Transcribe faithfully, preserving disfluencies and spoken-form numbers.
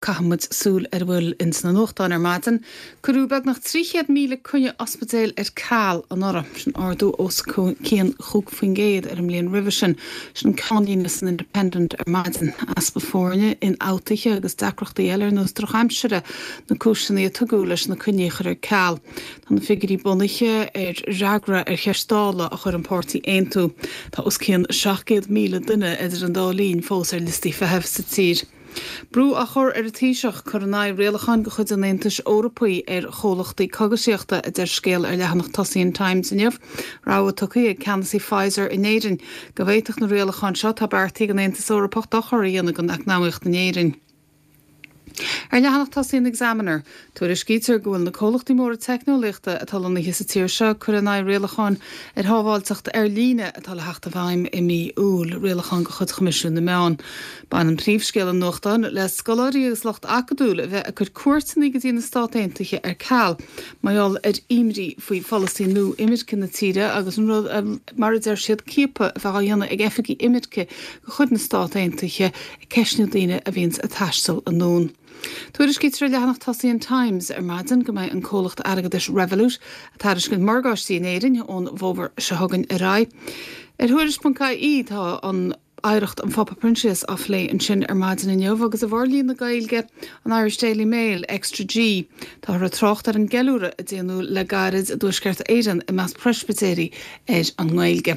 Caithfidh muid súil ar a bhfuil ins na nuachtáin ar maidin. Cuireadh beagnach trí chéad míle coinne ospidéil ar ceal anuraidh. Sin ardú os cionn chúig faoin gcéad ar an mbliain roimhe sin. Sin ceannlíne san Independent ar maidin. Easpa foirne, ionfhabhtuithe agus deacrachtaí eile ar nós drochaimsire na cúiseanna a tugadh leis na coinní a chur ar ceal. Tá na figiúirí bunaithe ar fhreagra ar cheist Dála a chuir an páirtí Aontú. Tá os cionn seacht gcéad míle duine idir an dá linn fós ar liostaí feithimh sa tír. Brú á chur ar an Taoiseach cur in aghaidh rialacháin de chuid an Aontais Eorpaigh ar chomhlachtaí cógaisíochta, a deir scéal ar leathanach tosaigh an Times inniu. Rabhadh tugtha ag ceannasaí Pfizer in Éirinn go bhféadfadh na rialacháin seo atá beartaithe ag an Aontas Eorpach dochar a dhéanamh don eacnamaíocht in Éirinn. Ar leathanach tosaigh an Examiner, tuairiscítear go bhfuil na comhlachtaí móra teicneolaíochta atá lonnaithe sa tír seo ag cur in aghaidh rialacháin ar shábháilteacht ar líne atá le theacht i bhfeidhm i mí Iúil, rialacháin de chuid Choimisiún na Meán. Baineann príomhscéal an nuachtáin le scoláirí agus lucht acadúil a bheith ag cur cuairteanna go dtí na Stát Aontaithe ar ceal mar gheall ar imní faoi pholasaí nua imirce na tíre agus an rud a, mar a deir siad, ciapadh a bheith á dhéanamh ag oifigigh imirce de chuid na Stát Aontaithe ag ceistniú daoine a bhíonns ag taisteal anonn. Tuairiscítear ar leathanach tosaigh an Times ar maidin go mbeidh an comhlacht airgeadais Revolut ag tairiscint morgáistí in Éirinn ón bhfómhar seo chugainn ar aghaidh. Ar Thuairisc.ie tá an oidhreacht an Phápa Proinsias á phlé ansin ar maidin inniu agus i bhforlíonadh Gaeilge an Irish Daily Mail, Extra G, táthar ag trácht ar an gceiliúradh a déanadh le gairid i dTuaisceart Éireann i measc Preispitéirí ar an nGaeilge.